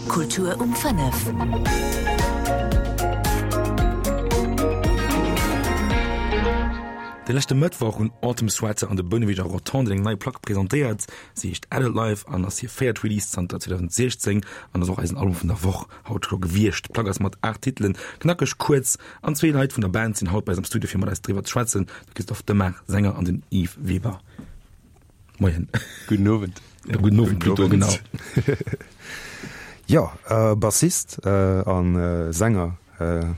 Kultur um 5. De leschte Mëttwoch hunn Autumn Sweater an de Bouneweg a Rotonde eng nei Plack presentéiert. Si heescht Adult Life an ass hir véiert Release zanter 2016 an ass och eisen Album vun der Woch haut scho gewiescht. D'Plack ass mat 8 Titelen knackeg kuerz an zwee Leit vun der Band sinn haut bei eis am Studio fir mat eis driwwer ze schwätzen, de Christophe Demart, Sänger an den Yves Weber. Moien. Gudden Owend. Ja, gudden Owend plutôt, genau. Jo, Bassist a Sänger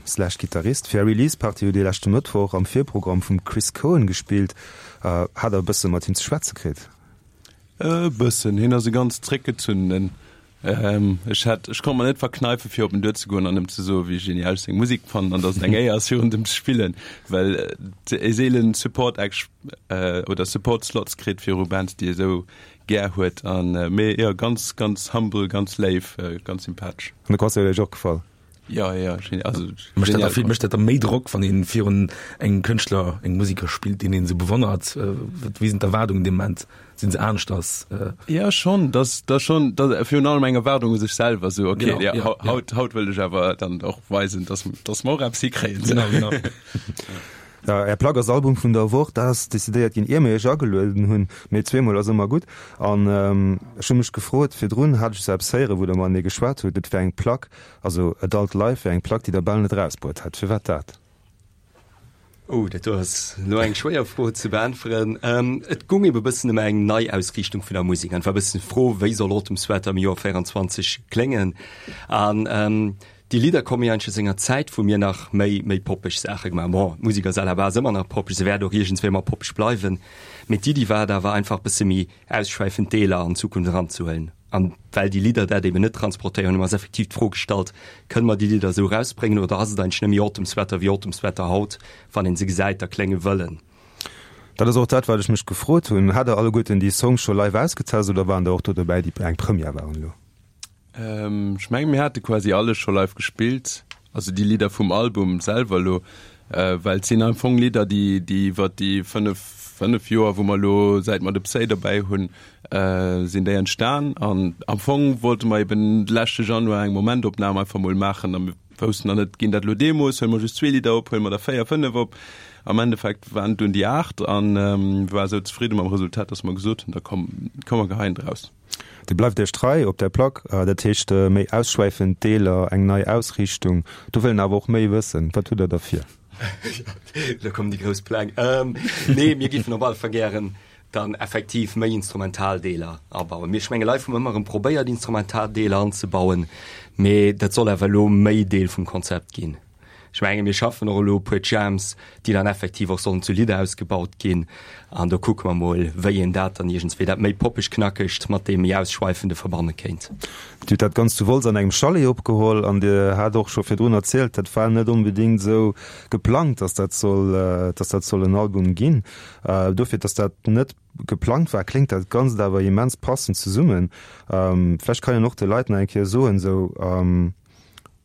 slash Gittarist. Fir är Release Party hutt Dir leschte Mëttwoch am Virprogramm vum Chris Cohen gespillt. Hat der e bësse mat him ze schwätze kritt? E bëssen. Hien ass e ganz zréckgezunnenen. Ech hat, ech konnt mer net verkneife fir op en duerzegoen an em ze soe wéi genial ech seng Musek fannen an datt et eng Éier ass virun dem ze spillen, well e seelen Support Acts oder Support Slots kritt viru Bands déi e sou gär huet an mee jo ganz ganz humble, ganz léif, ganz sympathesch. An de Concert huet Iech och gefall? Ja, ja, genial, also Mécht dat da vill, mécht dat da méi Drock, wann een virun engem Kënschtler, engem Musiker spillt, deen een esou bewonnert? Wéi sinn d'Erwaardungen dee Moment? Sinn se aneschters? Ja, schonn, dass da schonn, da virun allem eng Erwaardung u sech selwer, esou okay, ja, ja, haut, haut wëll ech awer dann och weisen, dass, dass mer och eppes hikréien. Genau, genau. Ja, Är Plack ass Album vun der Woch, dat ass decidéiert ginn, ier mir Iech agelueden hunn, mee zweemol ass ëmmer gutt. An ech hu mech gefrot, virdrun hat ech esou eppes héieren, wou Der matenee geschwat hutt, et wär eng Plack, Also Adult Life wär eng Plack, déi der bal net erausbruet hätt. Firwat dat? Oh, dat do ass elo eng schwéier Fro ze beäntweren. Et goung ebe bëssen ëm eng Neiausriichtung vun der Musek an et war e bëssen d'Fro, wéi soll Autumn Sweater am Joer 24 kléngen? An déi Lidder komme jo eigentlech aus enger Zäit, wou mir nach méi, méi poppeg Saache gemaach hunn. Bon, d'Musek ass à la base ëmmer nach poppeg, se wäert och iergendswéi ëmmer poppeg bleiwen, mee d'Iddi war et awer einfach bësse méi ausschwäifend Deeler an Zukunft eranzehuelen. An well déi Lidder dat eben net transportéieren, hu mer eis effektiv d'Fro gestallt, Kënne mer déi Lidder esou erausbréngen oder ass et eigentlech net méi Autumn Sweater wéi Autumn Sweater haut, wann een se gesäit a klénge wëllen? Dat ass och dat, wat ech mech gefrot hunn. Hat der alleguerten déi Songs scho live ausgetest oder waren der och do dobäi, déi eng Première waren elo? Ech mengen, mir hate quasi alles scho live gespillt, also déi Lidder vum Album selwer elo, well et sinn am Fong Lidder, déi déi iwwer déi 5, 5 Joer, wou mer elo säit mer de Psy dobäi hunn, sinn déi entstan. An am Fong wollte mer eben leschte Januar eng Momentopnam einfach mol maachen a mir woussten nach net, ginn dat elo Demos, huele mer just zwee Lidder op, huele mer der véier, fënnef op. Am Endeffekt waren et dunn déi 8 an mir ware sou zefridde mam Resultat, datt mer gesot hunn, da komm, komm mer geheien draus. Dir bleift Iech trei op där Plack, dat heescht méi ausschwäifend Deeler, eng nei Ausriichtung. Do wëll een awer och méi wëssen. Wat hutt Der da vir? Elo kommen déi grouss Pläng. Nee, mir géifen op alle Fall gären dann effektiv méi instrumental Deeler abauen. Mir, ech menge live hu mer ëmmer erëm probéiert instrumental Deeler anzebauen, mee dat soll awer elo méi Deel vum Konzept ginn. Ech menge mir schaffen och elo e puer Jams, déi dann effektiv och sollen zu Lidder ausgebaut ginn. An do kucke mer mol, wéi een dat dann iergendswéi, dat méi poppeg Knackegt mat deem méi Ausschweifende verbanne kéint. Dir hutt dat Ganzt zu Wolz an engem Chalet opgeholl an Dir hat och scho virdrun erzielt, dat war net onbedéngt esou geplangt, dass dat soll, dass dat soll en Album ginn. Dofir, dass dat net geplangt war, kléngt dat Ganzt awer immens passend zesummen. Vläicht kann een och de Leit nach eng Kéier soen, esou,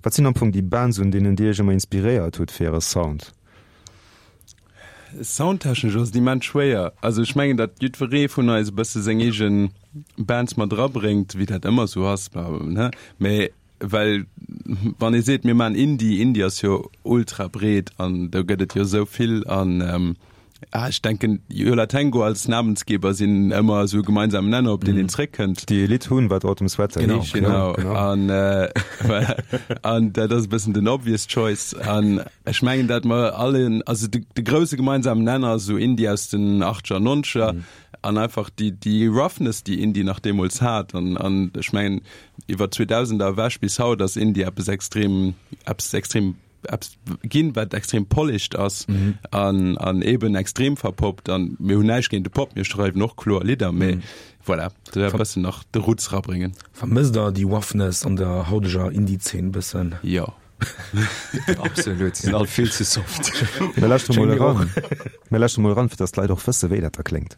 Wat sinn am Fong déi Bands, un deenen Dir Iech ëmmer inspiréiert hutt fir Äre Sound? Soundtechnesch ass et immens schwéier. Also ech mengen, datt jiddweree vun eis e bësse seng eege Bands mat erabréngt, wéi dat ëmmer esou ass, ne? Mä well wann ee seet, mir maachen Indie, Indie ass jo ultra breet an do gëtt et jo esou vill an Ah, ech denken Yo La Tengo als Namensgeber sinn ëmmer esou e gemeinsamen Nenner, op deen een zréckkënnt. Déi e Lidd hunn, wat Autumn Sweater Genau, heescht. genau. Genau. An, äh, an dat ass e bëssen den obvious choice. An ech mengen, dat mer allen, also de, de grousse gemeinsamen Nenner ass esou Indie aus den Achtscher, Nonzeger an einfach déi, déi Roughness, déi Indie nach deemools hat. An, an ech mengen, iwwer 2000er ewech bis haut ass Indie eppes extrem, eppes extrem eppes ginn, wat extrem polished ass mhm. an, an eben extrem verpoppt. An mir hunn näischt géint de Pop, mir schreiwen och kloer Lidder, mee mhm. voilà, da wär bëssen nach de Roots rabréngen. Vermësst der déi Roughness an der hauteger Indie-Zeen bëssen? Jo. Absolut, sinn all vill ze soft. Mir lauschteren mol eran. Mir lauschteren mol eran, fir dass d'Leit och wësse wéi dat da kléngt.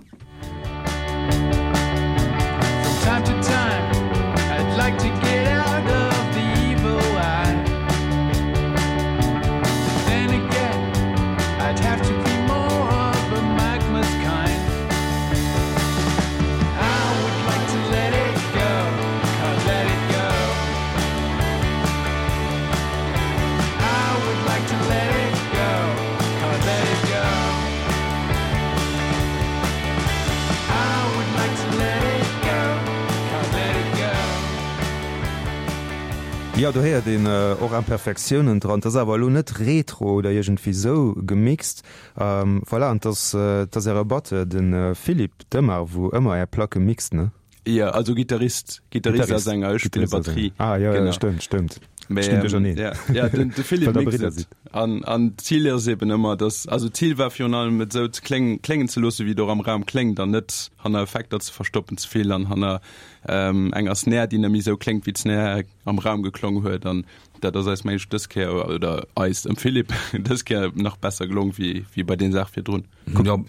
Jo, do héiert een och Imperfektiounen dran. 't ass awer elo net retro oder iergendwéi sou gemixt. Voilà, an 't ass, 't ass äre Batteur, de Philippe Demar, wou ëmmer är Placke mixt, ne? Jo, also Gittarist, Gittarist a Sänger, ech spille Batterie. Ah, jo, jo, stëmmt, stëmmt. Ech ginn duercherneen. Ja, ja, den, de Philippe mixt et. An, an d'Zil ass eben ëmmer, dass, also d'Zil war virun allem, et esou ze kléng, kléngen ze loosse wéi et och am Raum kléngt an net hanner Effekter ze verstoppen ze vill an hanner enger Snare, déi net méi esou kléngt, wéi d'Snare am Raum geklong huet. An dat ass eis, meng ech, dës Kéier, oder eis, dem Philippe, dës Kéier nach besser gelong wéi, wéi bei den Saach virdrun. Jo,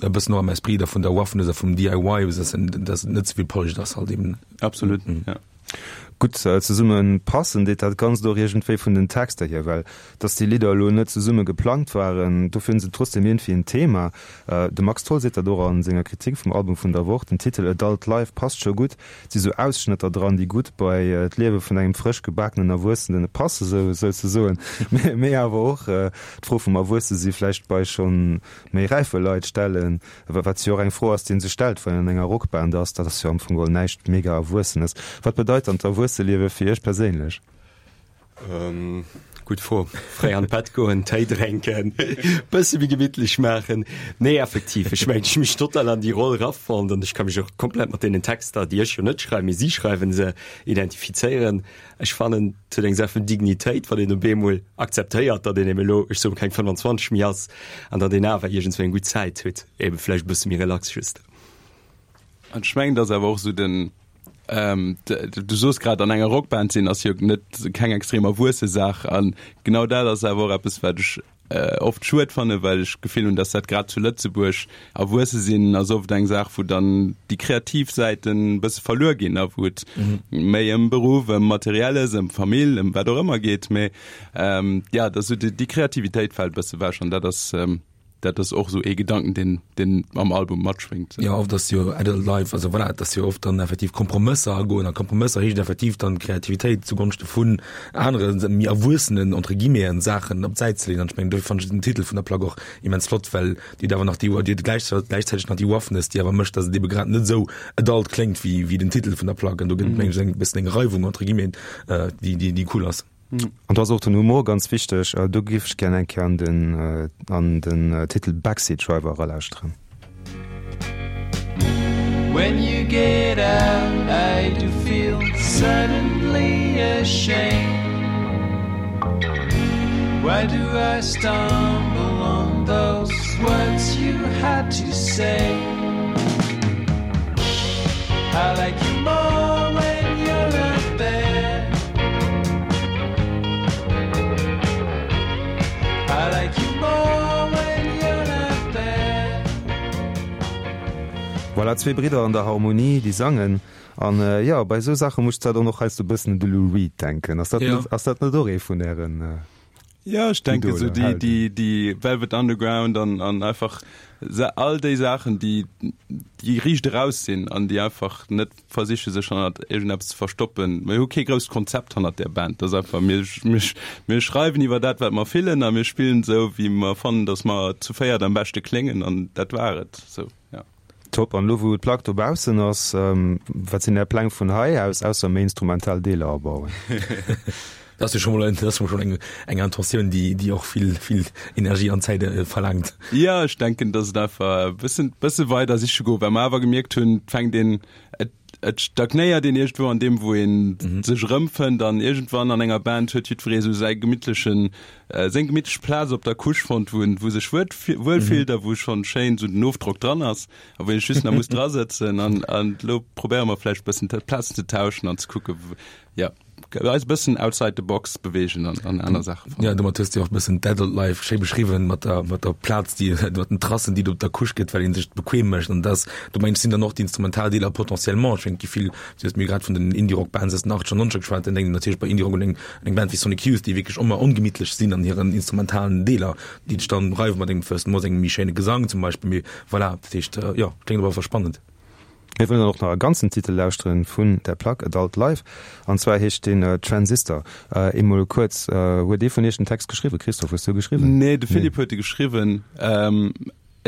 e bëssen och am Esprit da vun der Roughness a vum DIY, dass et net ze vill polished ass halt eben. Absolut, ja. Gutt zesumme passen deet dat Ganzt och iergendwéi vun den Texter hier, well dass déi Lidder elo net zesumme geplangt waren, dofir hunn se trotzdem iergendwéi en Thema. De Max Tholl seet dat och a senger Kritik vum Album vun der Woch, Den Titel Adult Life passt scho gutt, et si sou Ausschnëtter dran, déi gutt bei d'Liewe vun engem frësch gebakenen Erwuessenen passe souzesoen, mee awer och d'Fro vum Erwuessesi vläicht bei schonn méi räife Leit stellen. Wat jo och eng Fro ass, déi een sech stellt, wann een an enger Rockband ass. Dat ass jo am Fong geholl näischt mega Erwuessenes. Wat bedeit dann d'Erwuesseliewe fir Iech perséinlech? Gutt Fro. Fréi an d'Bett goen, Téi drénken, bësse méi gemittlech maachen. Nee, effektiv, ech mengen, ech hu mech total an déi Roll erafonnt an ech ka mech och komplett mat deenen Texter, déi ech jo net schreiwen, mee si schreiwen se, identifizéieren. Ech fannen, et huet eng Saach vun Dignitéit, wann een op eemol akzeptéiert, datt een eben elo, ech soen, keng 25 méi ass an datt een awer iergendswéi eng gutt Zäit huet, eben vläicht e bësse méi relax just. An ech mengen, et ass awer och esou den, du soos grad, an enger Rockband sinn ass jo net keng extrem erwuesse Saach. An genau dat ass awer och eppes, wat ech oft schued fannen, well ech d'Gefill hunn, dass dat grad zu Lëtzebuerg, Erwuesse sinn ass oft eng Saach, wou dann déi kreativ Säiten e bësse verluer ginn a wou et méi ëm Beruff, ëm Materielles, ëm Famill, ëm wat och ëmmer geet. Mee ja, dass esou déi Kreativitéit fält e bësse ewech an dat ass, dat ass och esou ee Gedanken, deen, deen am Album matschwéngt. Jo, oft ass jo Adult Life, also voilà, et ass jo oft dann effektiv Kompromësser agoen a Kompromësser heescht effektiv dann Kreativitéit zugonschte vun anere méi erwuessenen, entre guillemeten, Saachen op d'Säit ze leeën. An ech mengen, dofir fannen ech den Titel vun der Plack och immens flott, well déi huet awer nach déi, déi huet gläichzäiteg nach déi Roughness, déi awer mécht, datt et ebe grad net esou adult kléngt wéi, wéi den Titel vun der Plack. An do gëtt et, mengen ech, e bëssen eng Reiwung, entre guillemeten, déi, déi, déi cool ass. An do ass och den Humor ganz wichteg. Do géif ech gär eng Kéier an den, an den Titel Backseat Driver eralauschteren. When you get out I do feel suddenly ashamed Why do I stumble on those words you had to say I like you more when you're not there I like you more when you're not there Voilà, zwee Bridder an der Harmonie, déi sangen. An jo, bei esou Saache muss ech zwar dann och heiansdo e bëssen un de Lou Reed denken. Ass dat net, ass dat net och ee vun ären Ja, ech denke sou déi, déi, déi Velvet Underground an, an einfach all déi Saachen, déi, déi riicht eraus sinn an déi einfach net versiche sech hannert iergendeppes ze verstoppen. Mir hu kee grousst Konzept hannert där Band. Dat ass einfach, mir, mir, mir schreiwen iwwer dat, wat mer fillen a mir spillen esou, wéi mer fannen, datt mer zu véiert am beschte kléngen an dat war et. Sou, ja. Top. An elo wou d'Plack dobaussen ass, wat sinn Är Pläng vun hei aus, ausser méi instrumental Deeler abauen? Dat ass jo scho mol, dat ass schonn eng, eng Intentioun, déi, déi och vill, vill Energie an Zäit verlaangt. Jo, ech denken, datt et einfach e bëssen, bësse weider siche gouf, well mer awer gemierkt hunn, et fänkt een, et, et stagnéiert een iergendwou an deem, wou ee sech erëmfënnt an iergendwann an enger Band huet jiddweree sou säi gemittlechen, seng gemittlech Plaz op der Couche fonnt, wou en, wou sech wuel, wuel fillt a wou schonn schéin sou den Ofdrock dran ass a wou een just nach muss drasëtzen an, an elo probéiere mer vläicht bëssen d'Plazen ze tauschen an ze kucke, jo, eis e bëssen outside the box beweegen an, an aner Saache fannen. Jo, domat hues de och e bëssen d'Adult Life schéi beschriwwen, mat der, mat der Plaz, déi, mat den Trassen, déi et op der Couche gëtt, well een sech bequem mécht an dass, do mengen ech, sinn dann och déi instrumental Deeler potentiellement, ech mengen, et gi vill, du hues mir grad vun den Indie-Rock-Bands aus den Achtzeger an Nonzeger geschwat, dann denkt een natierlech bei Indie-Rock un eng Eng Band wéi Sonic Youth, déi wierklech ëmmer ongemittlech sinn an hiren instrumentalen Deeler, déi dech dann reiwen mat engem First Moss, engem méi schéine Gesang zum Beispill. Mee voilà, dat heescht, jo, kléngt op alle Fall spannend. Mir wëllen dann och nach e ganzen Titel lauschteren vun der Plack Adult Life, an zwar heescht deen Transistor. Eemol kuerz, huet ee vun iech den Text geschriwwen? Christophe, hues du e geschriwwen? Nee, de Philippe huet e geschriwwen.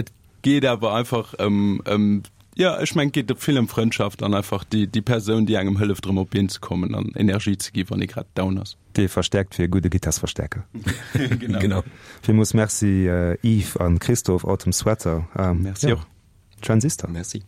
Et geet awer einfach ëm, ëm. Jo, ech mengen, et geet vill ëm Frëndschaft an einfach déi, déi Persoun, déi engem hëlleft, erëm op d'Been ze kommen an Energie ze gi wann ee grad down ass. Dee verstäerkt wéi e gudde Gittarsverstäerker. Genau. Villmools Merci Yves an Christophe, Autumn Sweater. Merci och. Transistor. Merci.